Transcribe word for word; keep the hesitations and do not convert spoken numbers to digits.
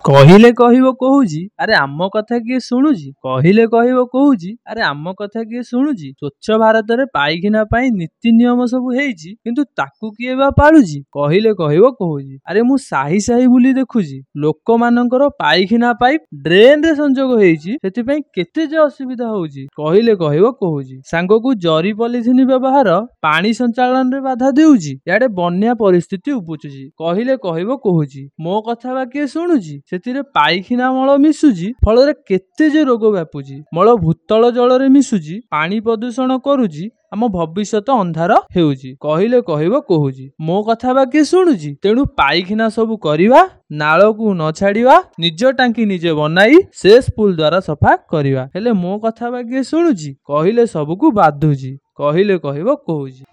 କହିଲେ କହିବ କହୁଛି, ଆରେ ଆମ କଥା କିଏ ଶୁଣୁଛି? କହିଲେ କହିବ କହୁଛି, ଆରେ ଆମ କଥା କିଏ ଶୁଣୁଛି? ସ୍ୱଚ୍ଛ ଭାରତରେ ପାଇଖାନା ପାଇଁ ନୀତି ନିୟମ ସବୁ ହେଇଛି, କିନ୍ତୁ ତାକୁ କିଏ ବା ପାଳୁଛି? କହିଲେ କହିବ କହୁଛି, ଆରେ ମୁଁ ସାହି ସାହି ବୁଲି ଦେଖୁଛି, ଲୋକମାନଙ୍କର ପାଇଖାନା ପାଇପ୍ ଡ୍ରେନରେ ସଂଯୋଗ ହେଇଛି, ସେଥିପାଇଁ କେତେ ଯେ ଅସୁବିଧା ହଉଛି। କହିଲେ କହିବ କହୁଛି, ସାଙ୍ଗକୁ ଜରି ପଲିଥିନ ବ୍ୟବହାର ପାଣି ସଞ୍ଚାଳନରେ ବାଧା ଦେଉଛି, ଇଆଡେ ବନ୍ୟା ପରିସ୍ଥିତି ଉପୁଜୁଛି। କହିଲେ କହିବ କହୁଛି, ମୋ କଥା ବା କିଏ ଶୁଣୁଛି? ସେଥିରେ ପାଇଖାନା ମଳ ମିଶୁଛି, ଫଳରେ କେତେ ଯେ ରୋଗ ବ୍ୟାପୁଛି। ମଳ ଭୂତଳ ଜଳରେ ମିଶୁଛି, ପାଣି ପ୍ରଦୂଷଣ କରୁଛି, ଆମ ଭବିଷ୍ୟତ ଅନ୍ଧାର ହେଉଛି। କହିଲେ କହିବ କହୁଛି, ମୋ କଥା ବା କିଏ ଶୁଣୁଛି? ତେଣୁ ପାଇଖାନା ସବୁ କରିବା, ନାଳକୁ ନ ଛାଡ଼ିବା, ନିଜ ଟାଙ୍କି ନିଜେ ବନାଇ ସେସ୍ ପୁଲ ଦ୍ୱାରା ସଫା କରିବା। ହେଲେ ମୋ କଥା ବା କିଏ ଶୁଣୁଛି? କହିଲେ ସବୁକୁ ବାଧୁଛି। କହିଲେ କହିବ କହୁଛି।